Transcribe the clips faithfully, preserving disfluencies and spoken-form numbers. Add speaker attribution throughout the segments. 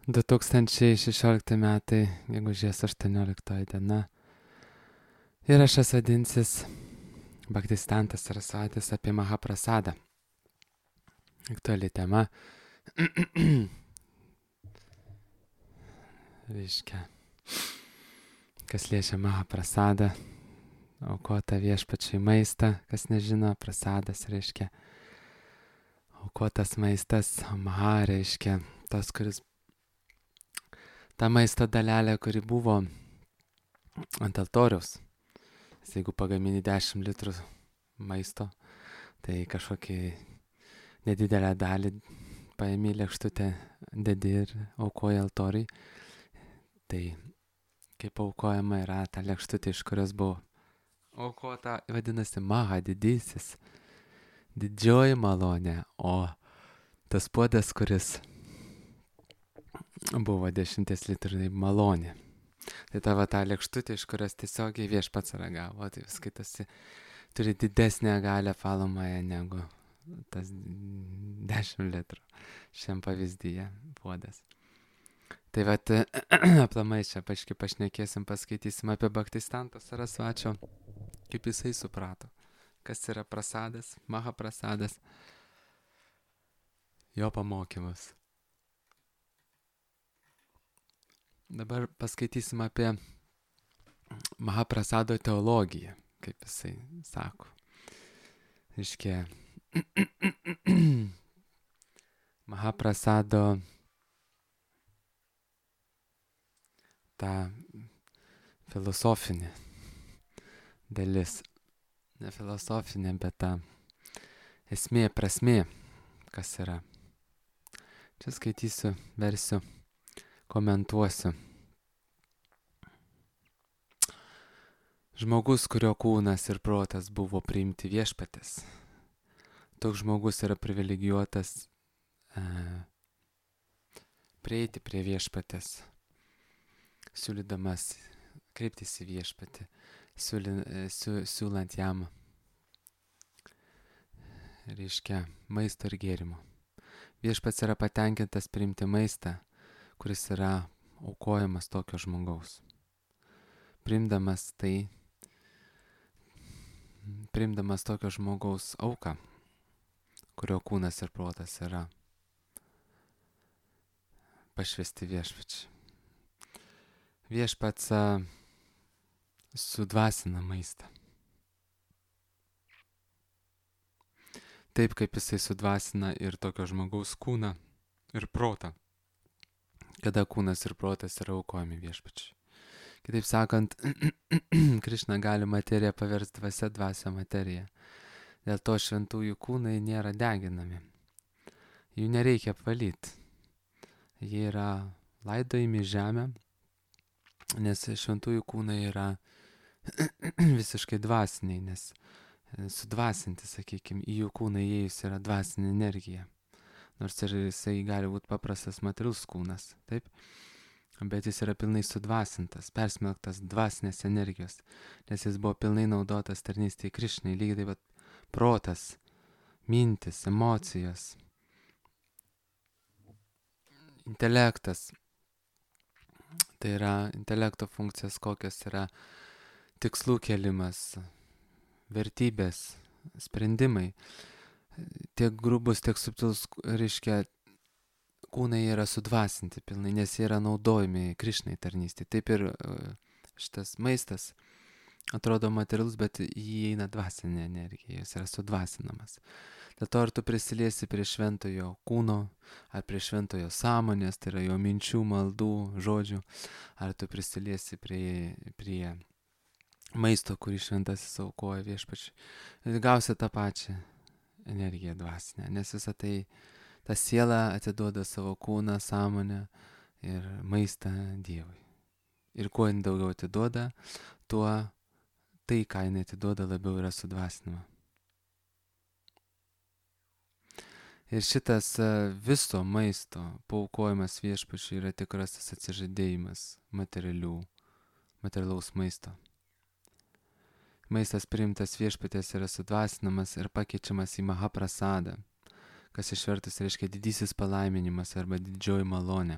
Speaker 1: du tūkstančiai šešiolikti metai, gegužės aštuonioliktoji diena. Įrašas vadinsis Bhaktistantas Sarasvatis apie Mahaprasadą. Aktuali tema. Reiškia, kas liečia Mahaprasadą, aukota viešpačiai maistą, kas nežino, prasadas reiškia aukotas maistas, o Maha reiškia tas, kuris ta maisto dalelė, kuri buvo ant altoriaus. Jeigu pagamini dešimt litrų maisto, tai kažkokį nedidelę dalį paėmė lėkštutę, dedi ir aukoja altoriui. Tai kaip aukojama yra ta lėkštutė, iš kurios buvo aukota, vadinasi Maha, didysis, didžioji malonė, o tas puodas, kuris buvo dešimties litrų, tai malonė. Tai tavo ta lėkštutė, iš kurios tiesiogiai viešpats ragavo, tai vis skaitasi, turi didesnę galę falomąją negu tas dešimt litrų šiam pavyzdyje puodas. Tai vat, aplamai čia paškai pašnekėsim, paskaitysim apie Bhaktistantą Sarasvačio, kaip jisai suprato, kas yra prasadas, Mahaprasadas, jo pamokymus. Dabar paskaitysim apie Mahaprasado teologiją, kaip jisai sako. Reiškia, Mahaprasado ta filosofinė dalis, ne filosofinė, bet ta esmė, prasmė, kas yra. Čia skaitysiu, versiu, komentuosiu. Žmogus, kurio kūnas ir protas buvo priimti viešpatės. Toks žmogus yra privilegijuotas e, prieiti prie viešpatės, siūlydamas kreiptis į viešpatį, siūly, siū, siūlant jam, reiškia, maisto ir gėrimo. Viešpats yra patenkintas priimti maistą, kuris yra aukojamas tokio žmogaus. Priimdamas tai, priimdamas tokio žmogaus auką, kurio kūnas ir protas yra pašvesti viešpačiai. Viešpats sudvasina maistą. Taip kaip jisai sudvasina ir tokio žmogaus kūną ir protą, kada kūnas ir protas yra aukojami viešpačiai. Kitaip sakant, Krišna gali materiją paversti dvasia, dvasia materiją. Dėl to šventųjų kūnai nėra deginami. Jų nereikia apvalyti. Jie yra laidojami žemę, nes šventųjų kūnai yra visiškai dvasiniai, nes sudvasinti, sakykime, į jų kūną įėjus yra dvasinė energija. Nors ir jisai gali būti paprastas materialus kūnas, taip? Bet jis yra pilnai sudvasintas, persmelktas dvasinės energijos, nes jis buvo pilnai naudotas tarnystėje Krišnai, lygiai taip pat protas, mintis, emocijos, intelektas. Tai yra intelekto funkcijas, kokios yra tikslų kėlimas, vertybės, sprendimai. Tiek grubus, tiek subtilus, reiškia, kūnai yra sudvasinti pilnai, nes jie yra naudojami Krišnai tarnystė. Taip ir šitas maistas atrodo materialus, bet jį eina dvasinė energija, jis yra sudvasinamas. Dėl to ar tu prisiliesi prie šventojo kūno, ar prie šventojo sąmonės, tai yra jo minčių, maldų, žodžių, ar tu prisiliesi prie, prie maisto, kurį šventasis aukoja viešpačiui, gausi tą pačią energiją dvasinę, nes visą tai ta siela atiduoda savo kūną, sąmonę ir maistą Dievui. Ir kuo jin daugiau atiduoda, tuo tai, ką jin atiduoda, labiau yra sudvasinama. Ir šitas viso maisto paaukojimas viešpačiui yra tikrasis atsižadėjimas materialių, materialaus maisto. Maistas priimtas viešpatės yra sudvasinamas ir pakeičiamas į Mahaprasadą, kas išvertus reiškia didysis palaiminimas arba didžioji malonė.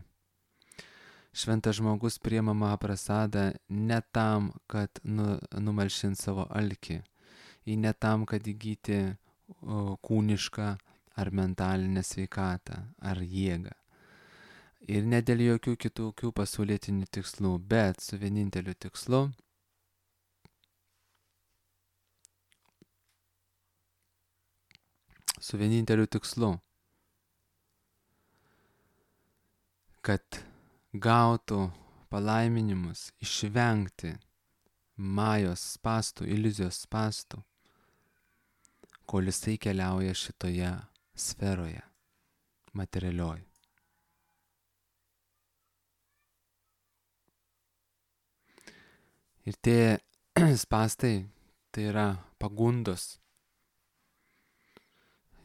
Speaker 1: Šventas žmogus priima Mahaprasadą ne tam, kad nu, numalšint savo alkį, į ne tam, kad įgyti o, kūnišką ar mentalinę sveikatą ar jėgą. Ir ne dėl jokių kitokių pasaulietinių tikslų, bet su vieninteliu tikslu su vieninteliu tikslu, kad gautų palaiminimus, išvengti majos spastų, iliuzijos spastų, kol jisai keliauja šitoje sferoje, materialioj. Ir tie spastai, tai yra pagundos,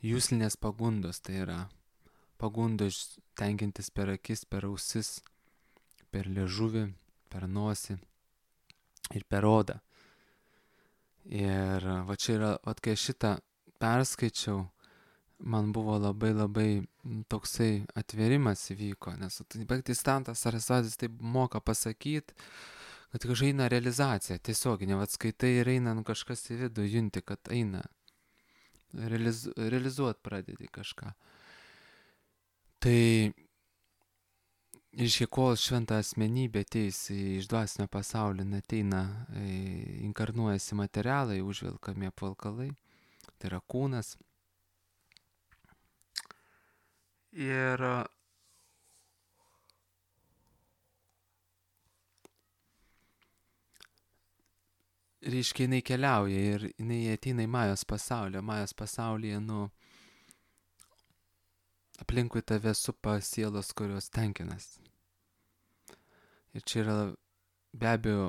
Speaker 1: jūslinės pagundos, tai yra pagundos tenkintis per akis, per ausis, per liežuvį, per nosį ir per odą. Ir va čia yra, va kai šitą perskaičiau, man buvo labai labai toksai atverimas įvyko, nes Bhaktistantas Sarasvatis taip moka pasakyti, kad kažkaip eina realizacija, tiesioginė, va skaitai ir eina nu, kažkas į vidų, junti, kad eina, realiz, realizuot pradedi kažką. Tai reiškia, kol šventa asmenybė ateis iš dvasinio pasaulio, ateina, inkarnuojasi materialai, užvilkami apvalkalai, tai yra kūnas. Ir reiškia, jinai keliauja ir jinai ateina į Majos pasaulį. Majos pasaulyje, nu, aplinkui tave supa sielos, kurios tenkinas. Ir čia yra be abejo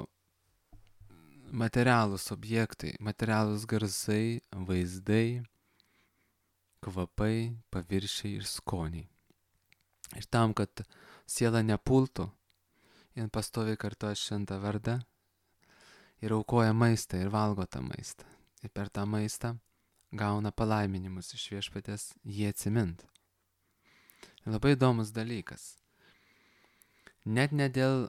Speaker 1: materialūs objektai, materialūs garsai, vaizdai, kvapai, paviršiai ir skoniai. Ir tam, kad siela nepultų, jin pastoviai kartoja šventą vardą ir aukoja maistą ir valgo tą maistą. Ir per tą maistą gauna palaiminimus iš viešpaties jį atsimint. Ir labai įdomus dalykas. Net ne dėl,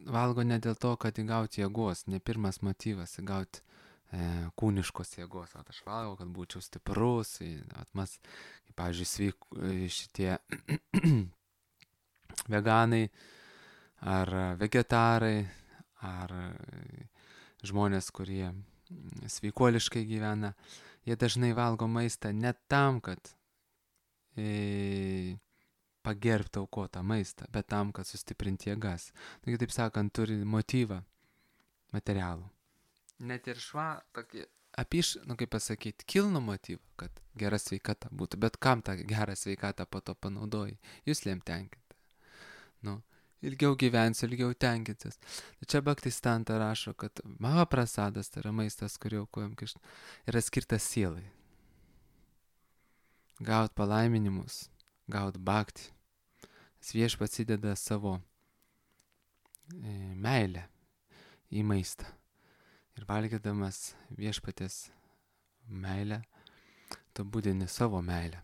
Speaker 1: valgo ne dėl to, kad įgauti jėgos, ne pirmas motyvas įgauti e, kūniškos jėgos. At aš valgau, kad būčiau stiprus, at mas, kaip, pavyzdžiui, sveik, šitie veganai ar vegetarai ar žmonės, kurie sveikuoliškai gyvena, jie dažnai valgo maistą ne tam, kad e, pagerbti aukotą maistą, bet tam, kad sustiprinti jėgas. Taigi, taip sakant, turi motyvą materialų. Net ir šva, tokį apiš, nu kaip pasakyti, kilnų motyvą, kad gera sveikata būtų, bet kam tą gerą sveikatą po to panaudoji? Jūs lėm tenkinti. Nu, ilgiau gyvensi, ilgiau tenkintis. Čia Bhaktistanta rašo, kad Mahaprasadas, tai yra maistas, kurį aukojam, yra skirtas sielai. Gaut palaiminimus, gaut bhakti. Viešpats įdeda savo e, meilę į maistą. Ir valgydamas viešpatės meilę, tu būdini savo meilę.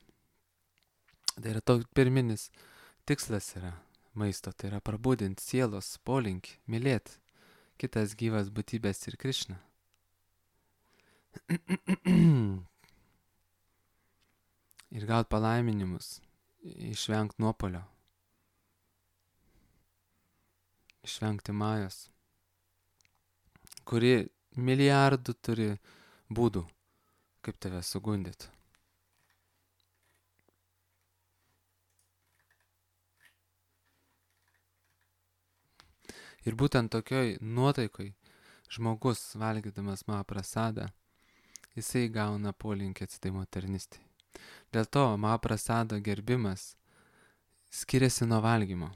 Speaker 1: Tai yra toks pirminis tikslas yra maisto, tai yra prabudinti sielos polinkį, mylėti kitas gyvas būtybės ir Krišną. Ir gaut palaiminimus, išvengti nuopolio, išvengti majos, kuri milijardų turi būdų, kaip tave sugundyti. Ir būtent tokioj nuotaikoj žmogus, valgydamas Mahaprasadą, jisai gauna polinkį atsidavimo tarnystei. Dėl to Mahaprasado gerbimas skiriasi nuo valgymo.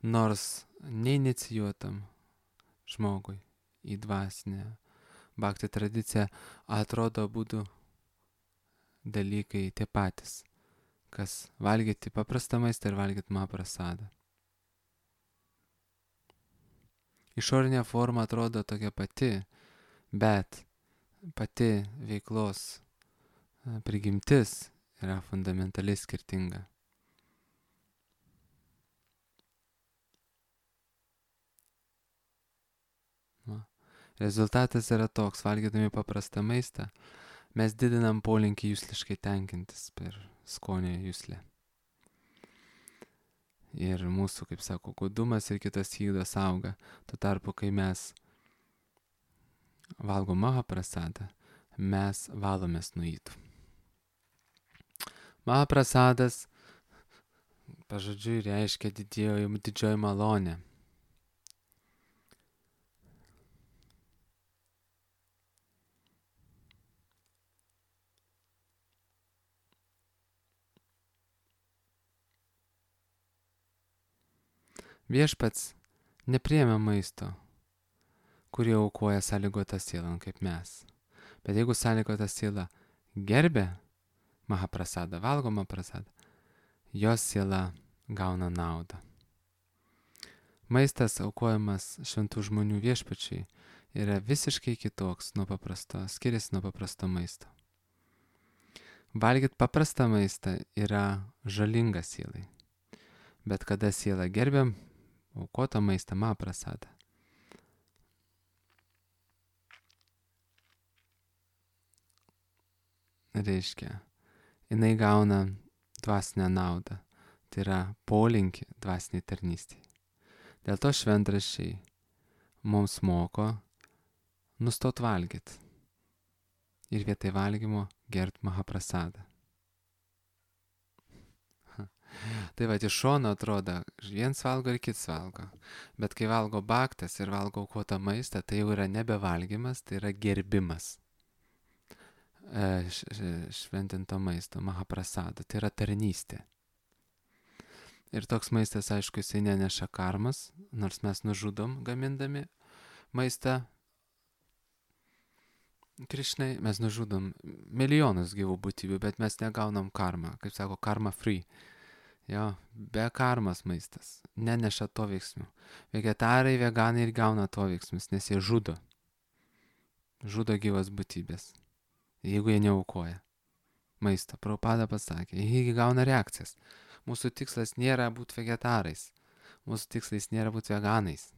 Speaker 1: Nors neinicijuotam žmogui į dvasinę bhakti tradiciją atrodo būdų dalykai tie patys, kas valgyti paprastą maistą ir valgyti Mahaprasadą. Išorinė forma atrodo tokia pati, bet pati veiklos prigimtis yra fundamentaliai skirtinga. Rezultatas yra toks, valgydami paprastą maistą, mes didinam polinkį jusliškai tenkintis per skonio juslę. Ir mūsų, kaip sako, godumas ir kitas įdas auga. Tuo tarpu, kai mes valgom mahaprasadą, mes valomės nuo įdų. Mahaprasadas pažodžiui reiškia didžioji, didžioji malonė. Viešpats nepriėmė maisto, kurį aukoja sąlygota siela, kaip mes. Bet jeigu sąlygota siela gerbė mahaprasadą, valgo mahaprasadą, jos siela gauna naudą. Maistas aukojamas šventų žmonių viešpačiai yra visiškai kitoks nuo paprasto, skiriasi nuo paprasto maisto. Valgyt paprastą maistą yra žalinga sielai. Bet kada siela gerbė aukotą maistą mahaprasadą, reiškia, jinai gauna dvasinę naudą, tai yra polinkį dvasiniai tarnystėje. Dėl to šventraščiai mums moko nustot valgyti ir vietoj valgymo gert mahaprasadą. Tai va, iš šono atrodo, viens valgo ir kits valgo. Bet kai valgo bhaktas ir valgo aukotą maistą, tai jau yra nebevalgymas, tai yra gerbimas e, šventinto maisto, mahaprasado. Tai yra tarnystė. Ir toks maistas, aišku, jisai neneša karmas, nors mes nužudom gamindami maistą Krišnai, mes nužudom milijonus gyvų būtybių, bet mes negaunam karmą, kaip sako, karma free. Jo, be karmas maistas, neneša to veiksmių. Vegetarai, veganai ir gauna to veiksmus, nes jie žudo. Žudo gyvas būtybės, jeigu jie neaukoja maisto. Prabhupada pasakė, jie gauna reakcijas. Mūsų tikslas nėra būti vegetarais, mūsų tikslas nėra būti veganais.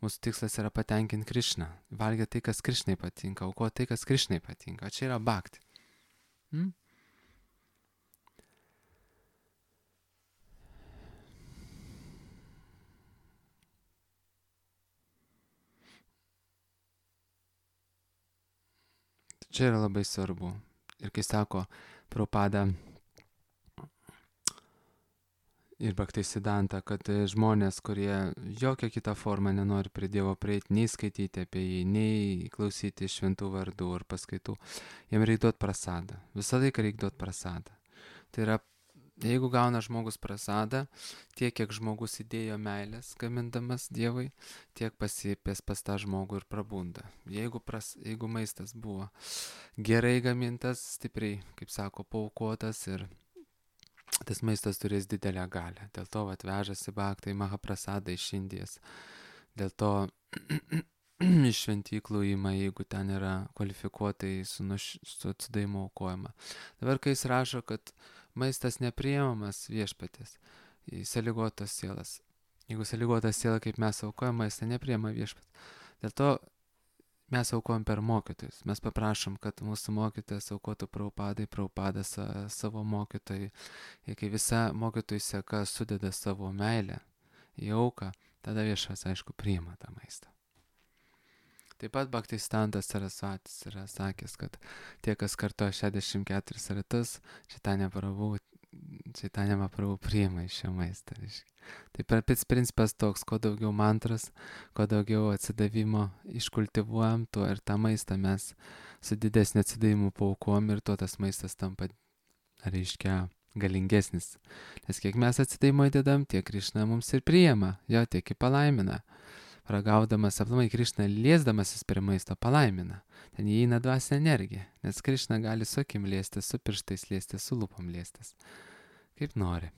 Speaker 1: Mūsų tikslas yra patenkinti Krišną, valgyti tai, kas Krišnai patinka, aukoti tai, kas Krišnai patinka. Čia yra bhakti. Hmm? Čia yra labai svarbu. Ir kai sako Prabhupada ir Bhaktisiddhanta, kad žmonės, kurie jokią kitą formą nenori prie Dievo prieiti, nei skaityti apie jį, nei klausyti šventų vardų ar paskaitų, jiem reikia duoti prasadą. Visą laiką reikia duoti prasadą. Tai yra, jeigu gauna žmogus prasadą, tiek, kiek žmogus įdėjo meilės gamindamas Dievui, tiek pasiepės pas tą žmogų ir prabunda. Jeigu, pras, jeigu maistas buvo gerai gamintas, stipriai, kaip sako, paukotas ir tas maistas turės didelę galę. Dėl to atvežasi bhaktai mahaprasadą iš Indijos. Dėl to iš šventyklų įma, jeigu ten yra kvalifikuotai su, nuš, su atsidavimo aukojama. Dabar, kai jis rašo, kad maistas nepriimamas viešpatės į sąlygotas sielas. Jeigu sąlygotas siela, kaip mes aukojam, maistą nepriima viešpatės. Dėl to mes aukojam per mokytojus. Mes paprašom, kad mūsų mokytojas aukotų Prabhupadai, Prabhupadas savo mokytojai. Ir kai visa mokytojų seka sudeda savo meilę į auką, tada viešas, aišku, priima tą maistą. Taip pat Bhaktisiddhantas Sarasvatis yra sakęs, kad tie, kas kartoja šešiasdešimt keturis ratus, Chaitanya Prabhu, Chaitanya Mahaprabhu priima iš šio maistą. Tai per pats principas toks, kuo daugiau mantras, kuo daugiau atsidavimo iškultivuojam, tuo ir tą maistą mes su didesniu atsidavimu paaukom ir tuo tas maistas tampa, reiškia, galingesnis. Nes kiek mes atsidavimo įdedam, tiek Krišna mums ir priima, jo tiek į palaimina. Ragaudamas, aplamai Krišna liesdamasis prie maisto palaimina. Ten įeina dvasinė energija, nes Krišna gali su akim liestis, su pirštais liestis, su lūpom liestis. Kaip nori.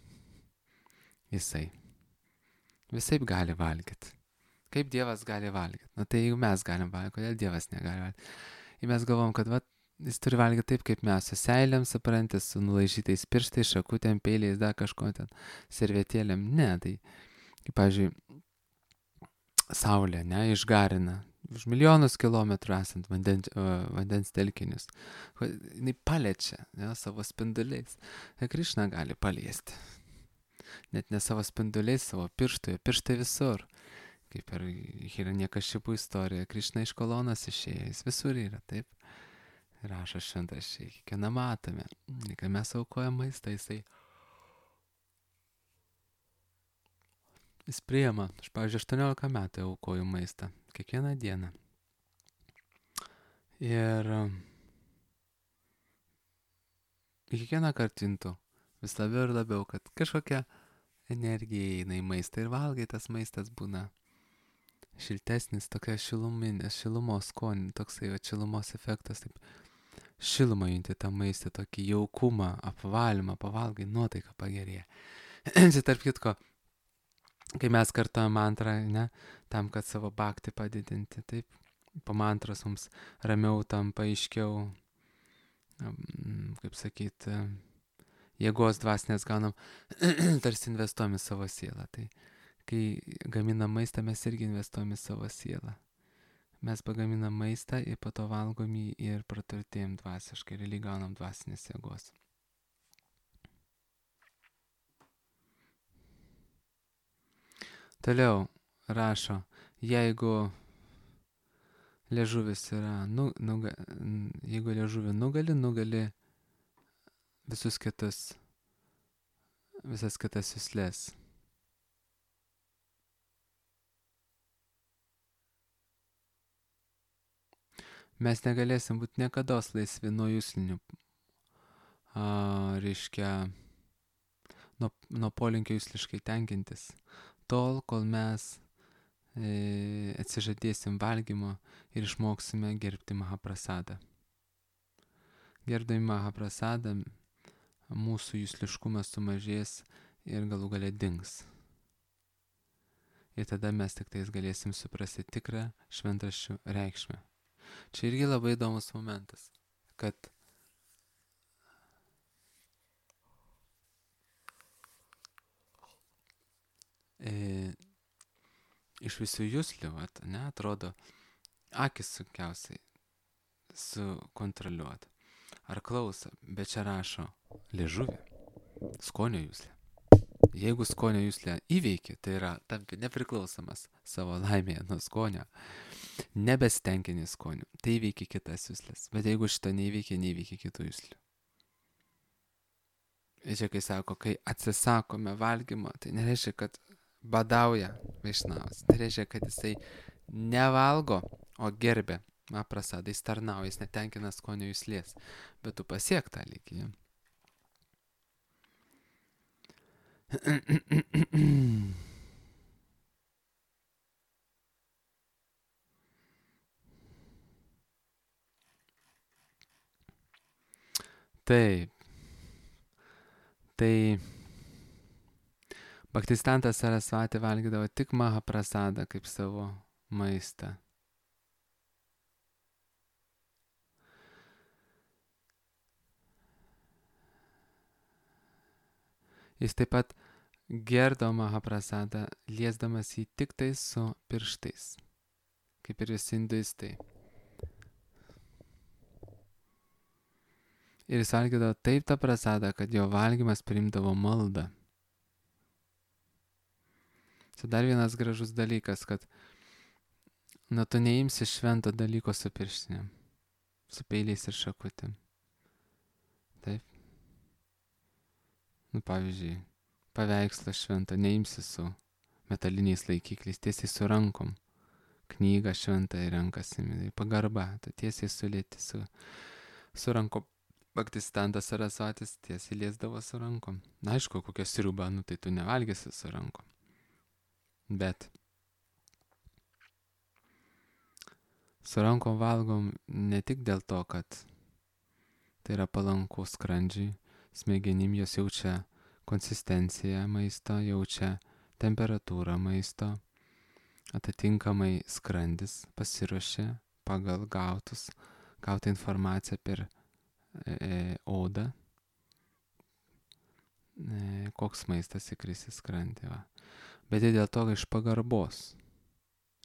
Speaker 1: Jisai. Visaip gali valgyti. Kaip Dievas gali valgyti? Na tai jeigu mes galim valgyti, kodėl Dievas negali valgyti? Ir mes galvom, kad va, jis turi valgyti taip, kaip mes, su seilėm, suprantis, su nulaižytais pirštais, šakutėm, peiliais, dar kažko ten, servetėlėm. Ne, tai, kaip, pavyzdžiui, saulė, ne, išgarina. už milijonus kilometrų esant vandens, vandens telkinius. Jis paliečia, ne, savo spinduliais. Ir Krišna gali paliesti. Net ne savo spinduliais, savo pirštų, pirštai visur. Kaip ir Hiranyakšipų istorija, Krišna iš kolonos išėjo, jis visur yra, taip. Rašo šventraščiai, kiekvieną matome. Kai mes aukojam maistą, jisai jis priima. Aš, pavyzdžiui, aštuoniolika metų aukoju maistą. Kiekvieną dieną. Ir kiekvieną kartą juntu vis labiau ir labiau, kad kažkokia energija eina į maistą ir valgai, tas maistas būna šiltesnis, tokia šiluminės, šilumos skonį, toksai va, šilumos efektas, taip šilumą junti tą maistą, tokį jaukumą, apvalymą, pavalgai, nuotaika pagerėja. Čia tarp kitko, kai mes kartuojam mantrą, ne, tam, kad savo bhaktį padidinti, taip, po mantros mums ramiau tampa aiškiau, kaip sakyti, jėgos dvasinės gaunam, tarsi investuojam į savo sielą. Tai kai gaminam maistą, mes irgi investuojam į savo sielą. Mes pagaminam maistą ir po to valgom jį ir praturtėjom dvasiškai, realiai gaunam dvasinės jėgos. Toliau rašo, jeigu liežuvis yra, nu, nuga, jeigu liežuvį nugali, nugali visus kitus, visas kitas juslės. Mes negalėsim būti niekados laisvi nuo juslinių, a, reiškia, nuo, nuo polinkio jusliškai tenkintis, tol, kol mes e, atsižadėsim valgymo ir išmoksime gerbti Mahaprasadą. Gerbdami Mahaprasadą, mūsų jusliškumas sumažės ir galų gale dings. Ir tada mes tik tais galėsim suprasti tikrą šventraščių reikšmę. Čia irgi labai įdomus momentas, kad e, iš visų juslių, at, ne, atrodo, akis sunkiausiai sukontroliuoti. Ar klauso, bet čia rašo liežuvį, skonio juslę. Jeigu skonio juslę įveiki, tai yra tampi nepriklausomas savo laimėje nuo skonio, nebesitenkini skoniu, tai įveiki kitas juslės. Bet jeigu šito neįveiki, neįveiki kitų juslių. Ir čia kai sako, kai atsisakome valgymo, tai nereiškia, kad badauja Vaišnavas. Tai reiškia, kad jisai nevalgo, o gerbė Mahaprasadą, jis tarnauja, jis netenkina skonio juslės. Bet tu pasiek tą lygį. Taip. Tai Bhaktistantas Sarasvati valgydavo tik Mahaprasadą kaip savo maistą. Jis taip pat gerdo Mahaprasadą, liesdamas jį tik tai su pirštais, kaip ir visi hinduistai. Ir jis valgydavo taip tą prasadą, kad jo valgymas priimdavo maldą. Tai dar vienas gražus dalykas, kad nu tu neimsi švento dalyko su pirštinėm, su peiliais ir šakutėm. Taip. Nu, pavyzdžiui, paveikslą šventą neimsi su metaliniais laikikliais, tiesiai su rankom. Knygą šventą į rankas įmė, pagarba, tu tiesiai sulėti su, su rankom. Bhaktistantas Sarasvatis tiesiai liesdavo su rankom. Na, aišku, kokią sriubą, nu tai tu nevalgysi su rankom. Bet su rankom valgom ne tik dėl to, kad tai yra palanku skrandžiui, smegenim, jos jaučia konsistenciją maisto, jaučia temperatūrą maisto, atitinkamai skrandis pasiruošia pagal gautus, gautą informaciją per e, odą, e, koks maistas įkris į skrandį. Va. Bet dėl to iš pagarbos,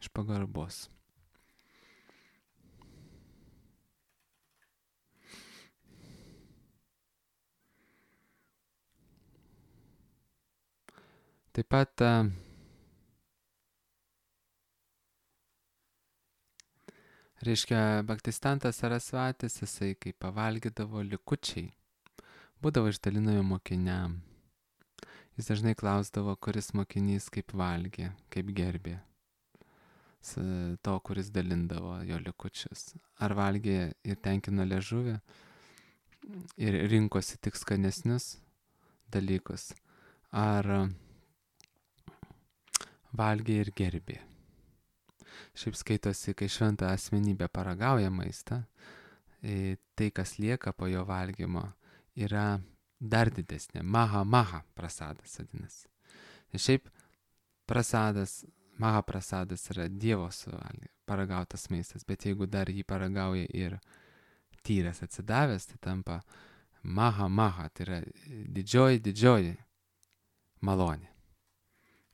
Speaker 1: iš pagarbos. Taip pat a, reiškia, Bhaktistantas Sarasvatis, jisai kai pavalgydavo likučiai, būdavo išdalinami mokiniam. Jis dažnai klausdavo, kuris mokinys kaip valgė, kaip gerbė to, kuris dalindavo jo likučius. Ar valgė ir tenkino liežuvį ir rinkosi tik skanesnius dalykus, ar valgė ir gerbė. Šiaip skaitosi, kai šventa asmenybė paragauja maistą, tai, kas lieka po jo valgymo, yra dar didesnė. Maha maha prasadas vadinasi. Ir šiaip prasadas, maha prasadas yra Dievo suvalgy, paragautas maistas, bet jeigu dar jį paragauja ir tyras atsidavęs, tai tampa maha maha, tai yra didžioji, didžioji malonė.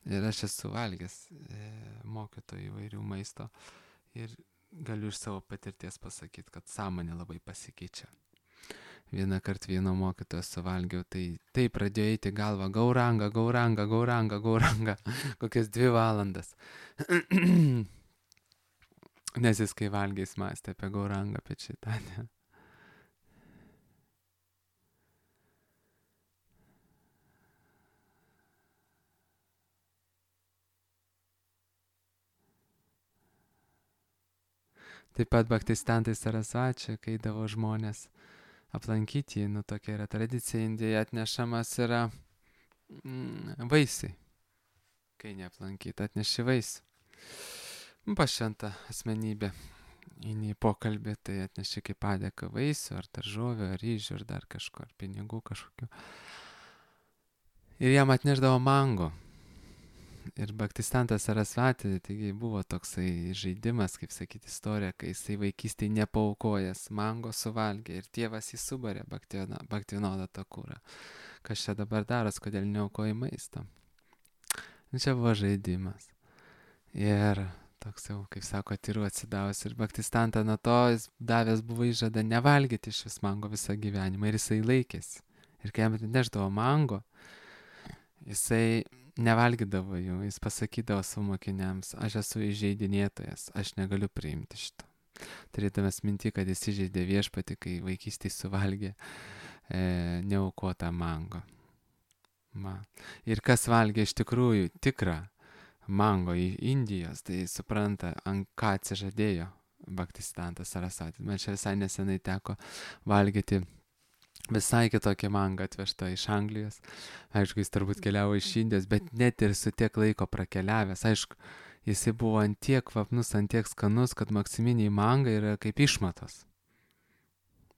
Speaker 1: Ir aš esu valgęs e, mokytojų įvairių maisto ir galiu iš savo patirties pasakyti, kad sąmonė labai pasikeičia. Vieną kartą vieno mokytojo suvalgiau, tai tai pradėjo eiti galva gauranga, gauranga, gauranga, gauranga, kokias dvi valandas. Nes jis kai valgiais mąstė apie gaurangą, apie Čaitanę. Taip pat Bhaktistantai Sarasvačiai, kai eidavo žmonės aplankyti, nu tokia yra tradicija Indijoje, atnešamas yra mm, vaisiai. Kai neaplankyti, atneši vaisių. Pašventa asmenybė. Eini į pokalbį, tai atneši kaip padėką vaisių, ar daržovių, ar ryžių, ar dar kažko, ar pinigų kažkokių. Ir jam atneždavo mango. Ir Bhaktistantas Sarasvati, taigi buvo toksai žaidimas, kaip sakyti, istorija, kai jisai vaikystėje nepaaukojęs mango suvalgė ir tėvas jį subarė Bhaktivinodą Thakurą. Kas čia dabar daras, kodėl neaukoji maisto? Čia buvo žaidimas. Ir toks jau, kaip sako, tyrų atsidavus. Ir Bhaktistantą nuo to jis davęs buvo įžadą nevalgyti iš vis mango visą gyvenimą. Ir jisai laikėsi. Ir kai jam atnešdavo mango, jisai nevalgydavo jų, jis pasakydavo savo mokiniams, aš esu įžeidinėtojas, aš negaliu priimti šito. Turėdamas minti, kad jis įžeidė viešpatį, kai vaikystėje suvalgė e, neaukotą mango. Ma. Ir kas valgė iš tikrųjų tikrą mango į Indijos, tai supranta, ant ką atsižadėjo Bhaktistantas Sarasvatis. Man čia visai nesenai teko valgyti visai kitokia manga atvežta iš Anglijos. Aišku, jis turbūt keliavo iš Indijos, bet net ir su tiek laiko prakeliavęs. Aišku, jisai buvo ant tiek kvapnus, ant tiek skanus, kad maksiminiai manga yra kaip išmatos.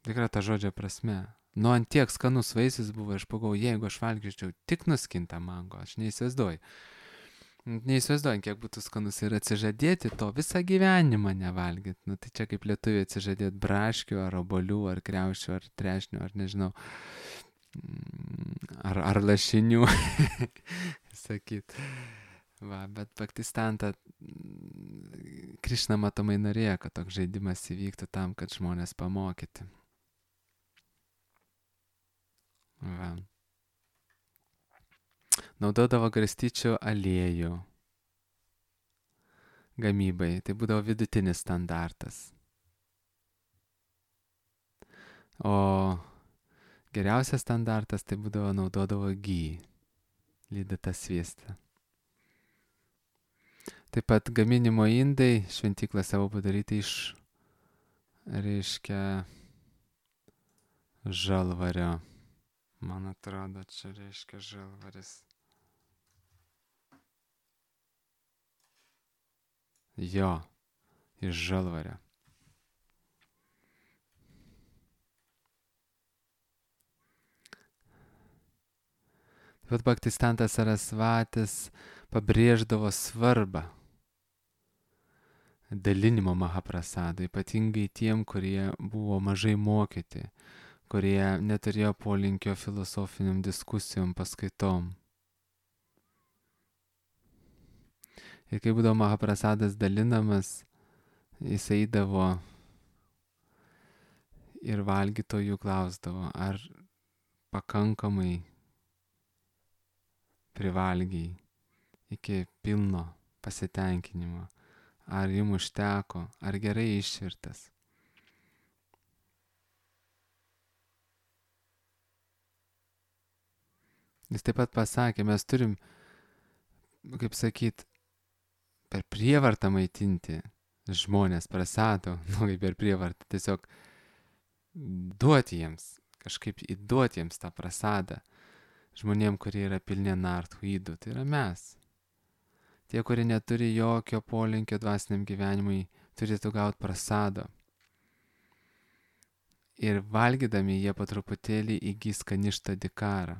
Speaker 1: Tikra ta žodžio prasme. Nu, ant tiek skanus vaisius buvo, aš pagalvojau, jeigu aš valgyčiau tik nuskintą mango, aš neįsivaizduoju. Neįsivaizduoju, kiek būtų skanus ir atsižadėti to visą gyvenimą nevalgyti. Nu, tai čia kaip lietuviai atsižadėti braškių, ar obolių, ar kriaušių, ar trešnių, ar nežinau, ar, ar lašinių, sakyt. Va, bet Bhaktistantą Krišna matomai norėjo, kad toks žaidimas įvyktų tam, kad žmonės pamokyti. Va. Naudodavo garstyčių aliejų gamybai. Tai būdavo vidutinis standartas. O geriausias standartas tai būdavo naudodavo gy, lydytą sviestą. Taip pat gaminimo indai šventyklą savo padaryti iš, reiškia, žalvario. Man atrodo, čia reiškia žalvaris. Jo, iš žalvario. Taip pat Bhaktistantas Sarasvatis pabrėždavo svarbą dalinimo mahaprasado, ypatingai tiem, kurie buvo mažai mokyti, kurie neturėjo polinkio filosofiniam diskusijom, paskaitom. Ir kai būdavo mahaprasadas dalinamas, jis eidavo ir valgytojų klausdavo, ar pakankamai privalgiai. iki pilno pasitenkinimo. Ar jums užteko, ar gerai išvirtas. Jis taip pat pasakė, mes turim, kaip sakyt, per prievartą maitinti žmonės prasado, nu kaip per prievartą, tiesiog duoti jiems, kažkaip įduoti jiems tą prasadą. Žmonėm, kurie yra pilni nartų įdų, tai yra mes. Tie, kurie neturi jokio polinkio dvasiniam gyvenimui, turėtų gauti prasado. Ir valgydami jie po truputėlį įgys kaništą dikarą.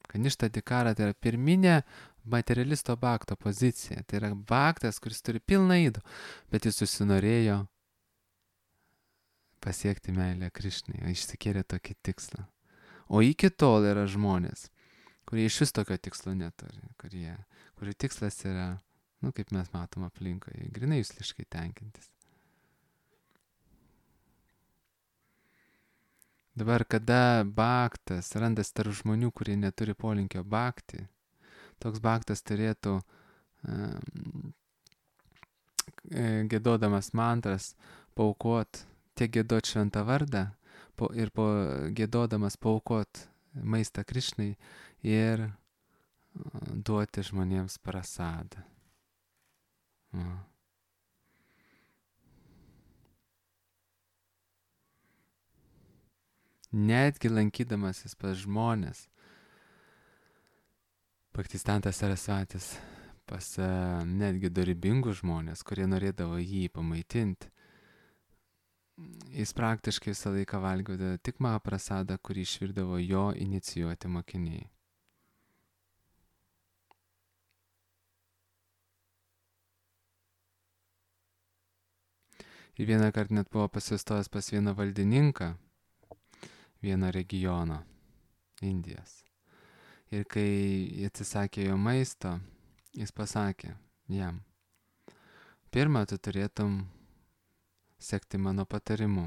Speaker 1: Kaništą dikarą tai yra pirminė materialisto bakto pozicija. Tai yra baktas, kuris turi pilną įdų, bet jis susinorėjo pasiekti meilę Krišnai, išsikėlė tokį tikslą. O iki tol yra žmonės, kurie iš vis tokio tikslo neturi, kurie, kurių tikslas yra, nu kaip mes matom aplinkoje, grinai jusliškai tenkintis. Dabar, kada baktas randas tarp žmonių, kurie neturi polinkio bakti, toks baktas turėtų um, gėdodamas mantras paaukot, tiek gėdot šventą vardą po, ir po gėdodamas paaukot maistą Krišnai ir uh, duoti žmonėms prasadą. Uh. Netgi lankydamasis pas žmonės, Bhaktistantas Sarasvatis pas uh, netgi dorybingus žmonės, kurie norėdavo jį pamaitinti, jis praktiškai visą laiką valgydavo tik mahaprasadą, kurį išvirdavo jo inicijuoti mokiniai. Ir vieną kartą net buvo pasistojęs pas vieną valdininką, vieno regiono Indijos. Ir kai atsisakė jo maisto, jis pasakė jam, pirmą tu turėtum sekti mano patarimu.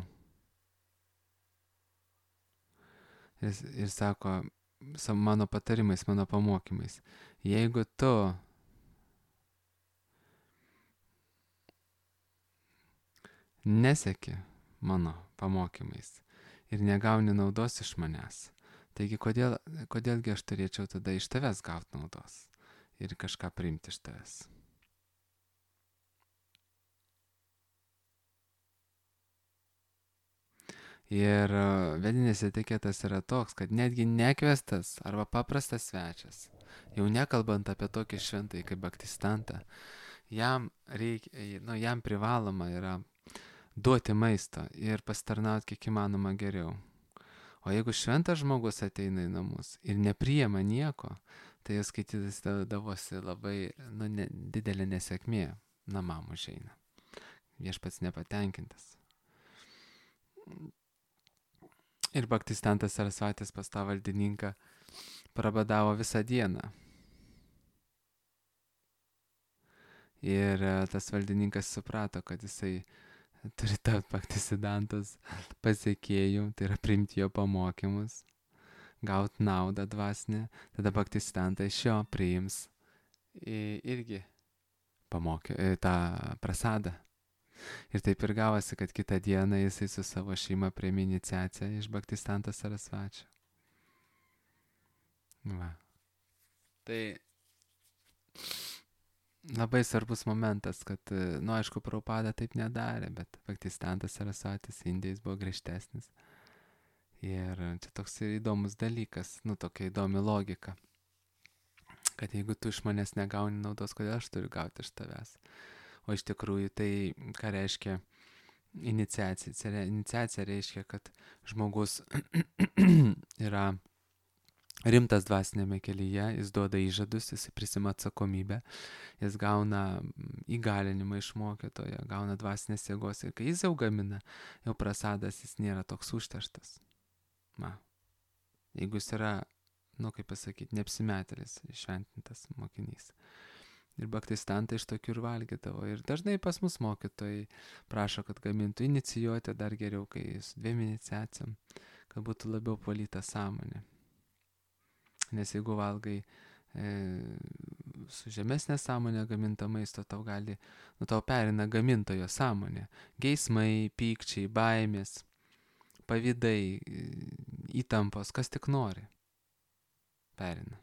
Speaker 1: Ir, ir sako, mano patarimais, mano pamokymais, jeigu tu neseki mano pamokymais ir negauni naudos iš manęs, taigi kodėl, kodėlgi aš turėčiau tada iš tavęs gauti naudos ir kažką priimti iš tavęs. Ir vedinės etiketas yra toks, kad netgi nekviestas arba paprastas svečias, jau nekalbant apie tokį šventąjį kaip Bhaktistantą, jam, reikia, nu, jam privaloma yra duoti maisto ir pasitarnauti kiek įmanoma geriau. O jeigu šventas žmogus ateina į namus ir nepriima nieko, tai jis skaitytis davosi labai nu, ne, didelė nesėkmė namam užeina. Viešpats nepatenkintas. Ir Bhaktistantas Sarasvatis pas tą valdininką prabadavo visą dieną. Ir tas valdininkas suprato, kad jisai turi tapti Bhaktisidantos pasiekėjų, tai yra priimti jo pamokymus, gauti naudą dvasinę, tada Bhaktisidanta iš jo priims irgi pamokė, tą prasadą. Ir taip ir gavosi, kad kitą dieną jisai su savo šeima priėmė iniciaciją iš Bhaktistanto Sarasvačio. Va. Tai labai svarbus momentas, kad, nu aišku, Prabhupada taip nedarė, bet Bhaktistantas Sarasvatis Indijais buvo griežtesnis. Ir čia toks įdomus dalykas, nu tokia įdomi logika, kad jeigu tu iš manęs negauni naudos, kodėl aš turiu gauti iš tavęs. O iš tikrųjų tai, ką reiškia iniciacija? Iniciacija reiškia, kad žmogus yra rimtas dvasinėme kelyje, jis duoda įžadus, jis prisima atsakomybę, jis gauna įgalinimą iš mokytojo, gauna dvasinės jėgos ir kai jis jau gamina, jau prasadas, jis nėra toks užterštas. Na, jeigu jis yra, nu kaip pasakyti, neapsimetėlis, šventintas mokinys. Ir Bhaktisidantai iš tokių ir valgydavo. Ir dažnai pas mus mokytojai prašo, kad gamintų inicijuoti dar geriau, kai su dviem iniciacijom, kad būtų labiau valyta sąmonė. Nes jeigu valgai e, su žemesnė sąmonė gaminto maisto, tau gali, nu tau perina gamintojo sąmonė. Geismai, pykčiai, baimės, pavydai, įtampos, kas tik nori. Perina.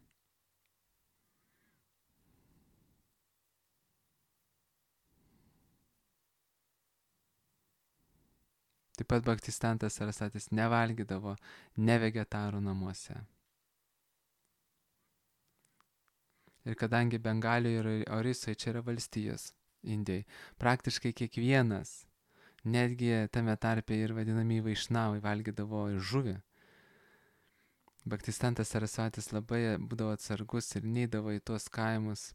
Speaker 1: Taip pat Bhaktistantas Sarasatis nevalgydavo nevegetarų namuose. Ir kadangi Bengalijoje ir Orisoje čia yra valstijos, Indijai, praktiškai kiekvienas, netgi tame tarpe ir vadinami vaišnavai, valgydavo žuvį. Bhaktistantas Sarasatis labai būdavo atsargus ir neidavo į tuos kaimus,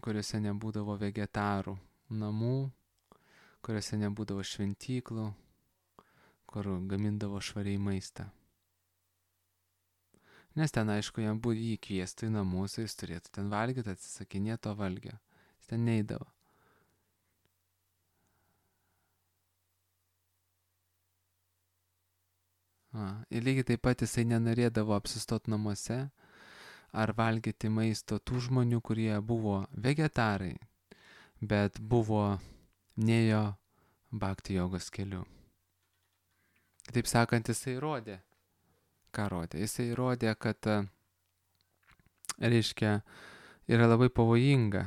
Speaker 1: kuriuose nebūdavo vegetarų namų, kuriuose nebūdavo šventyklų, kur gamindavo švariai maistą. Nes ten, aišku, jam būtų jį kviestų į namus, jis turėtų ten valgyti, atsisakinėti to valgio. Jis ten neidavo. A, ir lygiai taip pat jisai nenorėdavo apsistoti namuose ar valgyti maisto tų žmonių, kurie buvo vegetarai, bet buvo nėjo bhakti jogos keliu. Taip sakant, jisai rodė. Ką rodė? Jisai rodė, kad, reiškia, yra labai pavojinga.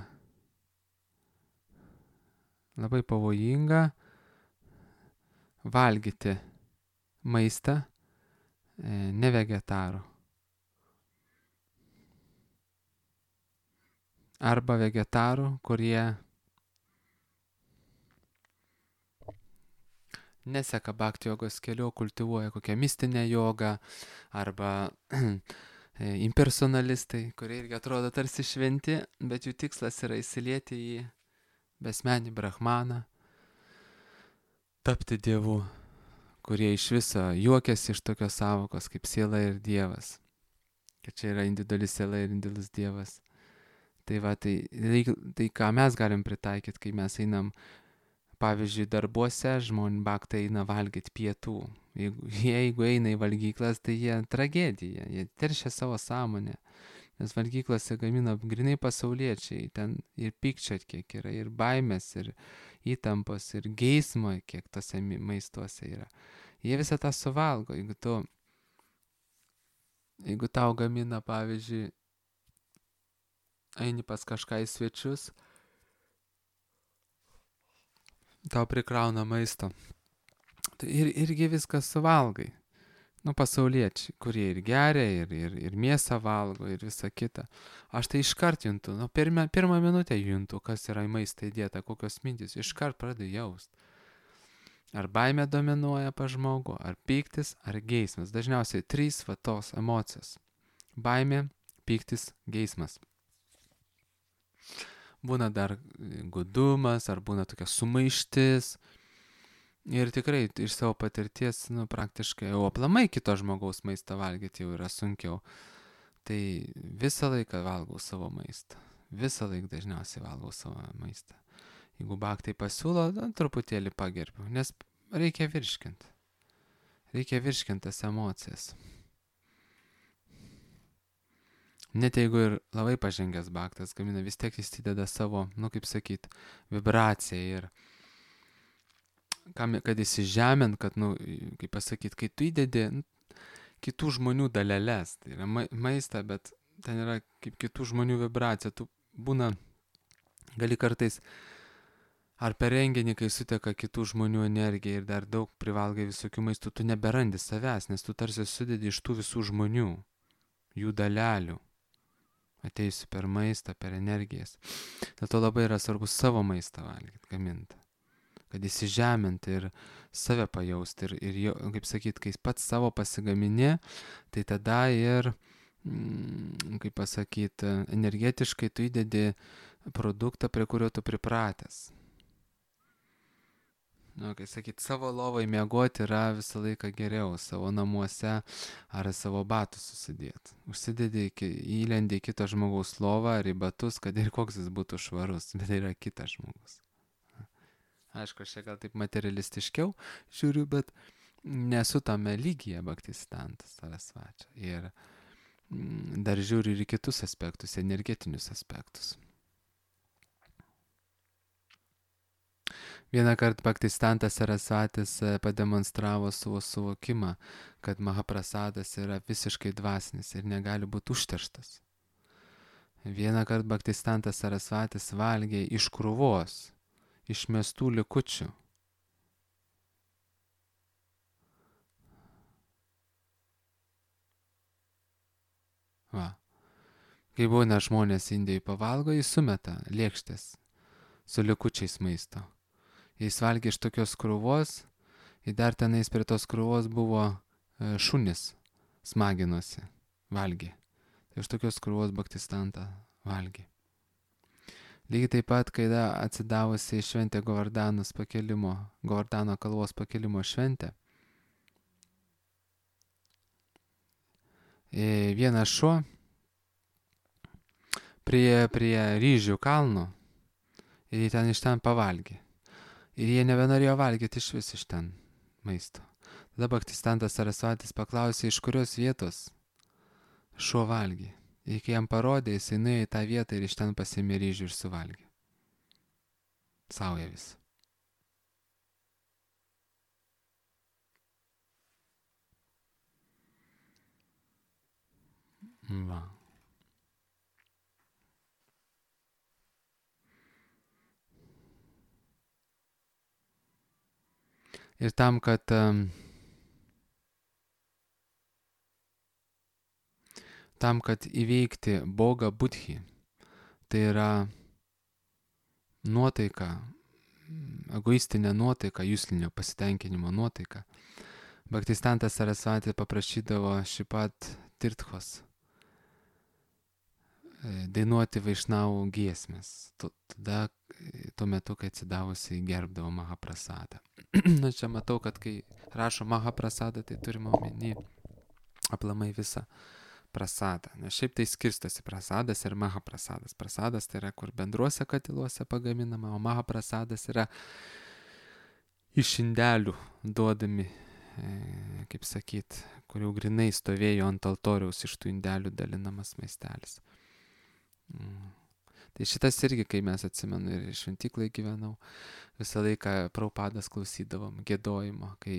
Speaker 1: Labai pavojinga valgyti maistą ne vegetarų. Arba vegetarų, kurie neseka bhakti jogos keliu, kultivuoja kokią mistinę jogą, arba impersonalistai, kurie irgi atrodo tarsi šventi, bet jų tikslas yra įsilieti į besmenį brahmaną, tapti dievu, kurie iš viso juokiasi iš tokios savokos kaip siela ir dievas, kad čia yra individuali siela ir individualus dievas. Tai va, tai, tai ką mes galim pritaikyti, kai mes einam, pavyzdžiui, darbuose žmonių bhaktai eina valgyti pietų. Jeigu, jeigu eina į valgyklas, tai jie tragedija, jie teršia savo sąmonę. Nes valgyklose gamina grinai pasauliečiai, ten ir pykčio kiek yra, ir baimės, ir įtampos, ir geismo, kiek tose maistuose yra. Jie visą tą suvalgo. Jeigu tu, jeigu tau gamina, pavyzdžiui, eini pas kažką į svečius, tau prikrauna maisto. Tai ir, irgi viską suvalgai. Nu, pasauliečiai, kurie ir geria, ir, ir, ir mėsą valgo, ir visa kita. Aš tai iškart juntu, nu, pirmą, pirmą minutę juntu, kas yra į maistą įdėta, kokios mintys. Iškart pradedu jaust. Ar baimė dominuoja pa žmogų, ar pyktis, ar geismas. Dažniausiai trys va tos emocijos. Baimė, pyktis, geismas. Būna dar gudumas, ar būna tokia sumaištis. Ir tikrai iš savo patirties, nu, praktiškai, o aplamai kito žmogaus maistą valgyti jau yra sunkiau. Tai visą laiką valgau savo maistą. Visą laiką dažniausiai valgau savo maistą. Jeigu bhaktai pasiūlo, nu, truputėlį pagerbiu, nes reikia virškinti. Reikia virškinti tas emocijas. Net jeigu ir labai pažengęs bhaktas gamina, vis tiek jis įdeda savo, nu kaip sakyt, vibraciją ir kam, kad įsižemint, kad, nu, kaip pasakyt, kai tu įdedi nu, kitų žmonių daleles, tai yra ma maistą, bet ten yra kaip kitų žmonių vibracija, tu būna, gali kartais ar per renginį, kai suteka kitų žmonių energija ir dar daug privalgai visokių maistų, tu neberandi savęs, nes tu tarsi sudedi iš tų visų žmonių, jų dalelių. Ateisiu per maistą, per energijas. Dėl to labai yra svarbu savo maistą valgyti, gaminti. Kad įsižeminti ir save pajausti. Ir, ir jau, kaip sakyt, kai pats savo pasigamini, tai tada ir, mm, kaip pasakyt, energetiškai tu įdedi produktą, prie kurio tu pripratęs. Nu, kai sakyt, savo lovai miegoti yra visą laiką geriau, savo namuose ar savo batus susidėti. Užsidedi, įlendi į kito žmogaus lovą ar į batus, kad ir koks jis būtų švarus, bet tai yra kitas žmogus. Aišku, aš čia gal taip materialistiškiau žiūriu, bet nesu tame lygyje Bhaktistantas Sarasvati. Ir dar žiūri ir į kitus aspektus, energetinius aspektus. Vieną kartą Bhaktistantas Sarasvatis pademonstravo savo suvokimą, kad Mahaprasadas yra visiškai dvasinis ir negali būti užterštas. Vieną kartą Bhaktistantas Sarasvatis valgė iš krūvos, išmestų likučių. Va. Kai būna žmonės Indijai pavalgo, jis sumeta lėkštės su likučiais maisto. Jis valgė iš tokios krūvos, ir dar tenais prie tos krūvos buvo šunis, smaginosi, valgė. Tai iš tokios krūvos Bhaktistantą valgė. Lygiai taip pat, kai atsidavusi šventė Govardanos pakelimo, Govardano kalvos pakelimo šventė, vienas šuo prie, prie ryžių kalno ir jie ten iš ten pavalgė. Ir jie nebenorėjo valgyti iš vis iš ten maisto. Tada Bhaktistantas Sarasvatis paklausė, iš kurios vietos šuo valgė. Ir kai jam parodė, jisai nuėjo į tą vietą ir iš ten pasiėmė ryžių ir suvalgė. Sauja vis. Va. Ir tam, kad tam, kad įveikti Boga Budhi, tai yra nuotaika, egoistinė nuotaika, juslinio pasitenkinimo nuotaika, Bhaktistantas Sarasvati paprašydavo Šipat Tirthos dainuoti vaišnavų giesmės. Tada, tuo metu, kai atsidavusiai gerbdavo Mahaprasadą. Na, čia matau, kad kai rašo Mahaprasadą, tai turime omeny aplamai visą prasadą. Nes šiaip tai skirstosi prasadas ir Mahaprasadas. Prasadas tai yra, kur bendruose katiluose pagaminama, o Mahaprasadas yra iš indelių duodami, e, kaip sakyt, kur jau grinai stovėjo ant altoriaus iš tų indelių dalinamas maistelis. Mm. Tai šitas irgi, kai mes atsimenu ir šventyklai gyvenau, visą laiką Prabhupadas klausydavom giedojimo, kai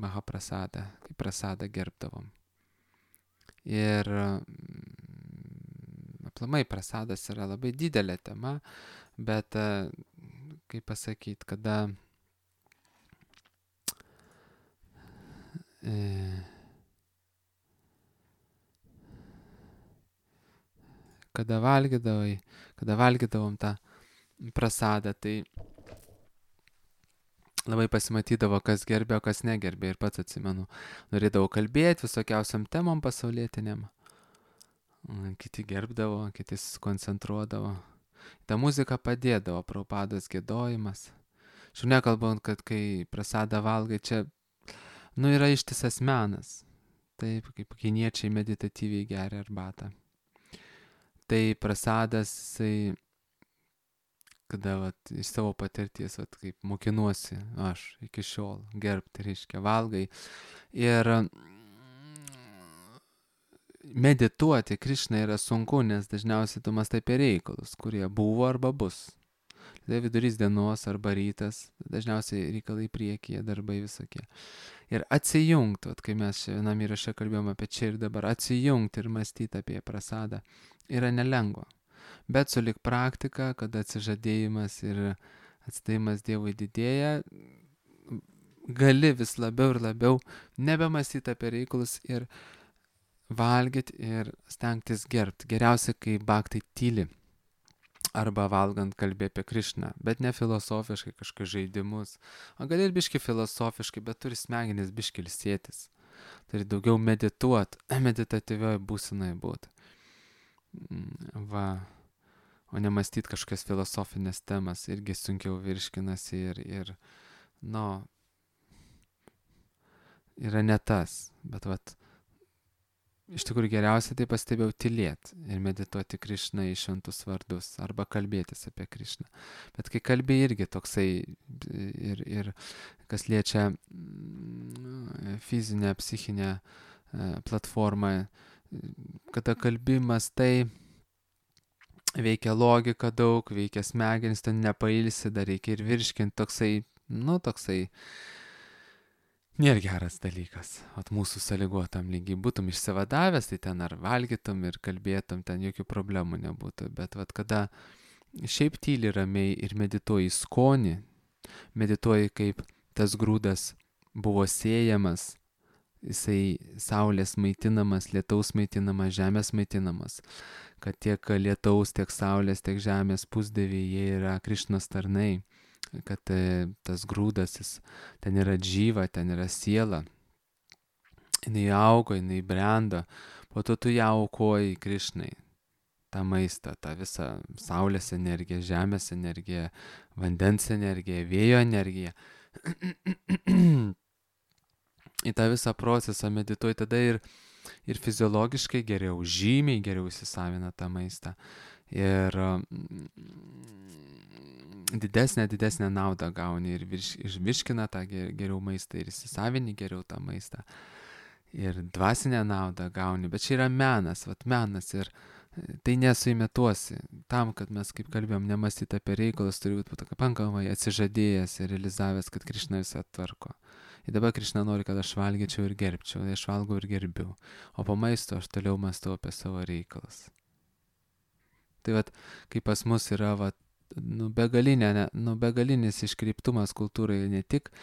Speaker 1: Mahaprasadą, kai prasadą gerbdavom. Ir aplamai prasadas yra labai didelė tema, bet, kaip pasakyti, kada e, kada valgydavai, kada valgydavom tą prasadą, tai labai pasimatydavo, kas gerbė, o kas negerbė. Ir pats atsimenu, norėdavau kalbėti visokiausiam temom pasaulietiniam. Kiti gerbdavo, kiti koncentruodavo. Ta muzika padėdavo, Prabhupados giedojimas. Šiuo nekalbant, kad kai prasadą valgai, čia, nu, yra ištisas menas. Taip, kaip kiniečiai meditatyviai geria arbatą. Tai prasadas, jisai, kada vat, iš savo patirties, vat, kaip mokinuosi aš iki šiol gerbti, reiškia, valgai. Ir medituoti Krišną yra sunku, nes dažniausiai tu mąstai apie reikalus, kurie buvo arba bus. Tai vidurys dienos arba rytas, dažniausiai reikalai priekyje, darbai visokie. Ir atsijungti, vat, kai mes čia vienam įraše kalbėjome apie čia ir dabar, atsijungti ir mąstyti apie prasadą yra nelengva. Bet sulik praktika, kada atsižadėjimas ir atsidėjimas Dievui didėja, gali vis labiau ir labiau nebemąstyti apie reikalus ir valgyti ir stengtis gerbti. Geriausia, kai bhaktai tyli arba valgant kalbė apie Krišną, bet ne filosofiškai kažkokius žaidimus. O gali ir biški filosofiškai, bet turi smegenis biški ilsėtis. Turi daugiau medituoti, meditatyvioje būsenoje būti. Va. O nemąstyti kažkokias filosofinės temas irgi sunkiau virškinasi ir, ir nu, yra ne tas. Bet vat, iš tikrųjų geriausia tai pastebėjau tylėti ir medituoti Krišną į šventus vardus arba kalbėtis apie Krišną. Bet kai kalbė irgi toksai ir, ir kas liečia fizinę, psichinę platformą, kada kalbimas tai veikia logika daug, veikia smegenis, ten nepailsi, dar reikia ir virškinti, toksai, nu, toksai nėra geras dalykas. At mūsų sąlygotam lygiai būtum išsivadavęs, tai ten ar valgytum ir kalbėtum, ten jokių problemų nebūtų. Bet vat kada šiaip tyli ramiai ir medituoji skonį, medituoji kaip tas grūdas buvo sėjamas, jisai saulės maitinamas, lietaus maitinamas, žemės maitinamas, kad tiek lietaus, tiek saulės, tiek žemės pusdieviai, jie yra Krišnos tarnai, kad e, tas grūdas, jis, ten yra džyva, ten yra siela, jinai augo, jinai brendo, po to tu ją aukoji Krišnai, tą maistą, tą visą saulės energiją, žemės energiją, vandens energiją, vėjo energiją. Į tą visą procesą medituoji, tada ir, ir fiziologiškai geriau, žymiai geriau įsisavina tą maistą. Ir didesnę, didesnę naudą gauni ir virš, išvirškina tą geriau maistą ir įsisavini geriau tą maistą. Ir dvasinę naudą gauni, bet čia yra menas, vat menas ir tai nesuimituosi. Tam, kad mes, kaip kalbėjom, nemastyti apie reikalus, turi būti pakankamai atsižadėjęs ir realizavęs, kad Krišna visą tvarko. Ir dabar Krišna nori, kad aš valgyčiau ir gerbčiau, tai aš valgau ir gerbiu. O po maisto aš toliau mąstau apie savo reikalus. Tai vat, kai pas mus yra vat, nu, begalinė, ne, nu, begalinis iškreiptumas kultūrai, ne tik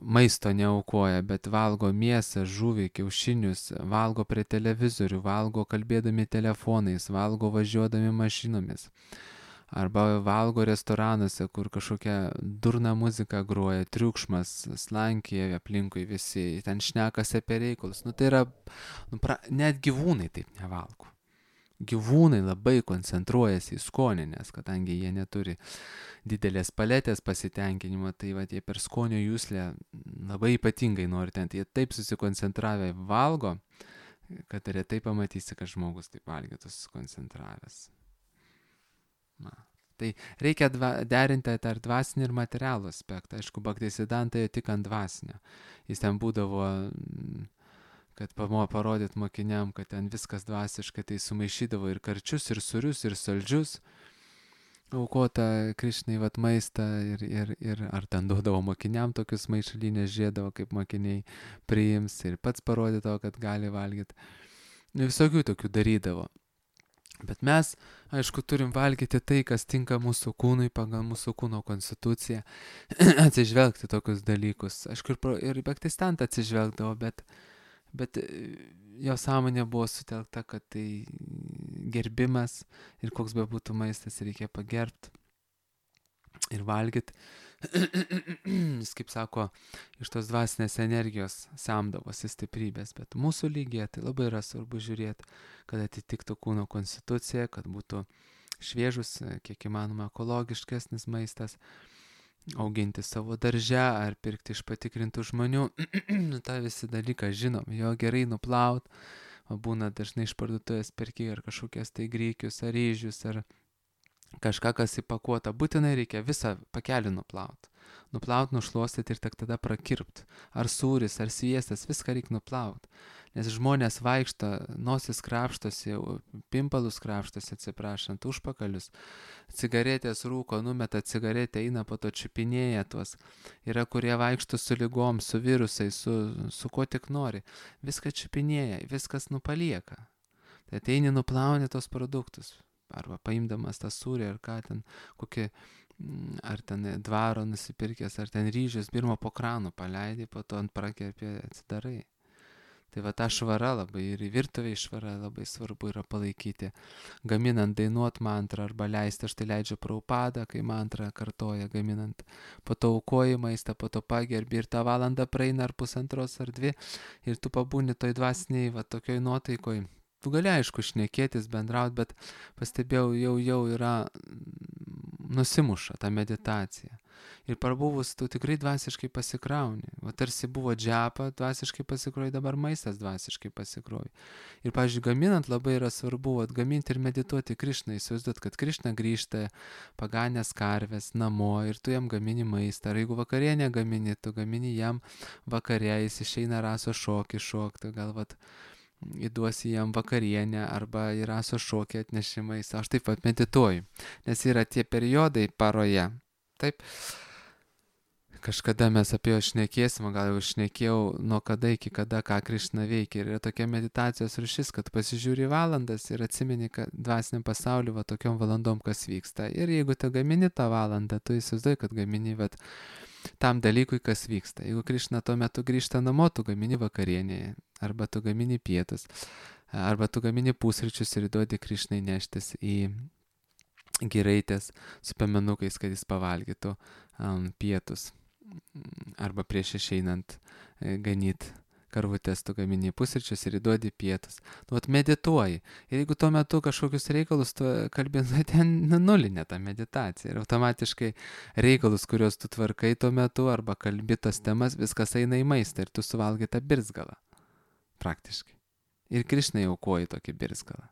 Speaker 1: maisto neaukoja, bet valgo mėsą, žuvį, kiaušinius, valgo prie televizorių, valgo kalbėdami telefonais, valgo važiuodami mašinomis. Arba valgo restoranuose, kur kažkokia durna muzika groja, triukšmas, slankėja aplinkui visi, ten šnekasi apie reikalus. Nu, tai yra, nu, pra, net gyvūnai taip nevalgo. Gyvūnai labai koncentruojasi į skonį, nes kadangi jie neturi didelės paletės pasitenkinimo, tai va, jie per skonio juslę labai ypatingai nori ten. Jie taip susikoncentravę valgo, kad retai pamatysi, kad žmogus taip valgytų susikoncentravęs. Na. Tai reikia dva, derinti tarp dvasinį ir materialų aspektą. Aišku, Bhaktisiddhanta tik ant dvasinio. Jis ten būdavo, kad parodyt mokiniam, kad ten viskas dvasiškai, tai sumaišydavo ir karčius, ir sūrius, ir saldžius, aukota Krišnai vat maistą, ir, ir, ir ar ten duodavo mokiniam tokius maišalinės, žiedavo, kaip mokiniai priims, ir pats parodydavo, kad gali valgyti. Visokių tokių darydavo. Bet mes, aišku, turim valgyti tai, kas tinka mūsų kūnui, pagal mūsų kūno konstituciją, atsižvelgti tokius dalykus. Aišku, ir, ir Bhaktisiddhanta atsižvelgdavo, bet Bet jo sąmonė buvo sutelkta, kad tai gerbimas ir koks be būtų maistas, reikia pagerbti ir valgyti. Jis, kaip sako, iš tos dvasinės energijos semdavosi stiprybės, bet mūsų lygyje tai labai yra svarbu žiūrėti, kad atitiktų kūno konstituciją, kad būtų šviežus, kiek įmanoma ekologiškesnis maistas, auginti savo darže ar pirkti iš patikrintų žmonių. Ta visi dalyką žinom, jo gerai nuplaut, o būna dažnai iš parduotuvės perki ar kažkokias tai grykius, ar ryžius, ar kažką, kas įpakuota. Būtinai reikia visą pakelį nuplaut. Nuplaut, nušluostyti ir tik tada prakirpt. Ar sūris, ar sviestas, viską reikia nuplaut. Nes žmonės vaikšto, nosis krapštosi, pimpalus krapštosi, atsiprašant, užpakalius, cigaretės rūko, numeta cigaretę, eina po to čiupinėja tuos. Yra, kurie vaikšto su lygom, su virusai, su, su ko tik nori. Viską čiupinėja, viskas nupalieka. Tai ateini nuplauni tos produktus. Arba paimdamas tą sūrį, ar ką ten, kokį, ar ten dvaro nusipirkęs, ar ten ryžius, pirmo po kranu paleidai, po to ant prakerpė atsidarai. Tai va ta švara labai ir virtuvėje švara labai svarbu yra palaikyti. Gaminant, dainuot mantrą arba leisti, aš tai leidžiu Prabhupada, kai mantrą kartoja gaminant. Po to aukoji maistą, po to pagerbi ir tą valandą praeina ar pusantros ar dvi ir tu pabūni toj dvasiniai, va tokioj nuotaikoj. Tu gali aišku šnekėtis, bendraut, bet pastebėjau, jau, jau yra nusimuša ta meditacija. Ir parbuvus tu tikrai dvasiškai pasikrauni. Va tarsi buvo džepa, dvasiškai pasikroji, dabar maistas dvasiškai pasikroji. Ir, pavyzdžiui, gaminant labai yra svarbu atgaminti ir medituoti Krišną, įsivaizduot, kad Krišna grįžta paganės karvės namo ir tu jam gamini maistą. Ar jeigu vakarienę gamini, tu gamini jam vakarė, jis išeina raso šokį šokti, gal vat įduosi jam vakarienę arba yra sušokę atnešimais. Aš taip pat medituoju, nes yra tie periodai paroje. Taip, kažkada mes apie juos šnekėsim, gal jau šnekėjau, nuo kada iki kada, ką Krišna veikia. Ir yra tokia meditacijos rūšis, kad pasižiūri valandas ir atsimeni, kad dvasiniam pasauliu va tokiom valandom kas vyksta. Ir jeigu tu gamini tą valandą, tu įsivaizduoji, kad gamini vat, tam dalykui, kas vyksta. Jeigu Krišna tuo metu grįžta namo, tu gamini vakarienėje, arba tu gamini pietus, arba tu gamini pusryčius ir duodi Krišnai neštis į giraitės su piemenukais, kad jis pavalgytų um, pietus. Arba prieš išeinant e, ganyt karvutės, tu gamini pusryčius ir įduodi pietus. Nu, vat medituoji. Ir jeigu tuo metu kažkokius reikalus tu kalbėsi, ten nulinė ta meditacija. Ir automatiškai reikalus, kuriuos tu tvarkai tuo metu, arba kalbi tas temas, viskas eina į maistą ir tu suvalgai tą birzgalą. Praktiškai. Ir Krišnai aukoji tokį birzgalą.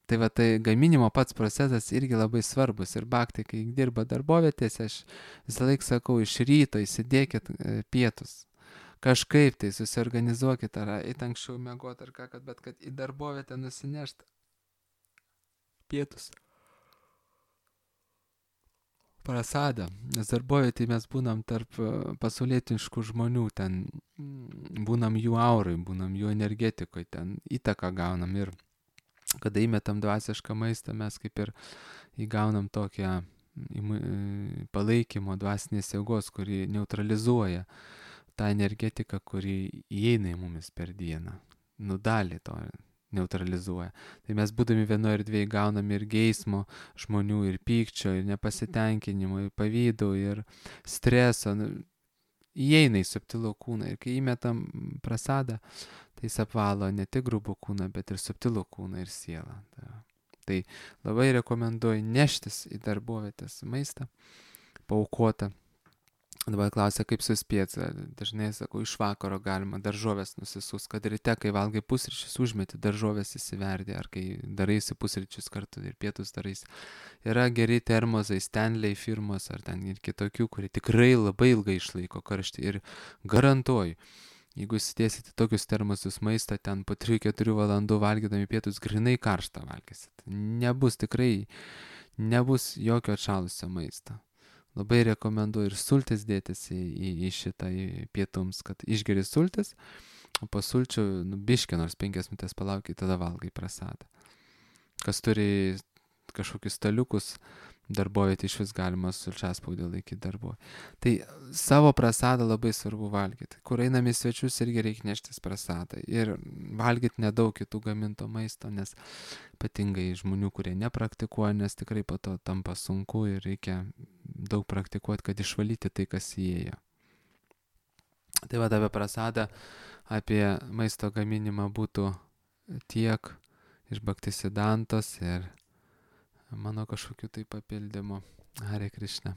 Speaker 1: Tai va, tai gaminimo pats procesas irgi labai svarbus. Ir bhakti, kai dirba darbovietėse, aš visą laiką sakau, iš ryto įsidėkit pietus. Kažkaip tai susiorganizuokit, ar eit anksčiau miegot, ar ką, kad, bet kad į darbovietę nusinešt pietus. Prasadą. Nes darbovietėje mes būnam tarp pasaulietiškų žmonių, ten būnam jų aurai, būnam jų energetikoje, ten įtaką gaunam ir kada įmetam dvasišką maistą, mes kaip ir įgaunam tokią palaikymo dvasinės jėgos, kuri neutralizuoja tą energetiką, kuri įeina į mumis per dieną. Nu, dalį to neutralizuoja. Tai mes būdami vienoje erdvėje gaunam ir geismo žmonių, ir pykčio, ir nepasitenkinimo, ir pavydo, ir streso. Įeina į subtilų kūną. Ir kai įmetam prasadą, tai jis apvalo ne tik grubų kūną, bet ir subtilų kūną ir sielą. Tai labai rekomenduoju neštis į darbovietės maistą, paaukotą. Dabar klausia, kaip suspėti. Dažnai sakau, iš vakaro galima daržovės nusisus, kad ryte, kai valgai pusryčius, užmeti daržovės įsiverdį, ar kai daraisi pusryčius kartu ir pietus daraisi. Yra geri termozai, Stanley firmos, ar ten ir kitokių, kurie tikrai labai ilgai išlaiko karštį. Ir garantuoju, jeigu įsidėsite tokius termosus maistą, ten po trijų keturių valandų valgydami pietus, grinai karštą valgysit. Nebus tikrai, nebus jokio atšalusio maisto. Labai rekomenduoju ir sultis dėtis į, į, į šitą į pietums, kad išgeri sultis, o po sulčių, nu, biškį nors penkias minutės palaukai, tada valgai prasadą. Kas turi kažkokius staliukus, darbovietė iš vis galima sulčiaspaudį laikyti darbo. Tai savo prasadą labai svarbu valgyti. Kur einam į svečius, irgi reikia neštis prasadą. Ir valgyti nedaug kitų gaminto maisto, nes ypatingai žmonių, kurie nepraktikuoja, nes tikrai po to tampa sunku ir reikia daug praktikuoti, kad išvalyti tai, kas įėjo. Tai va, apie prasadą, apie maisto gaminimą būtų tiek iš Bhaktisiddhantos ir mano kažkokiu tai papildymu. Hare Krishna.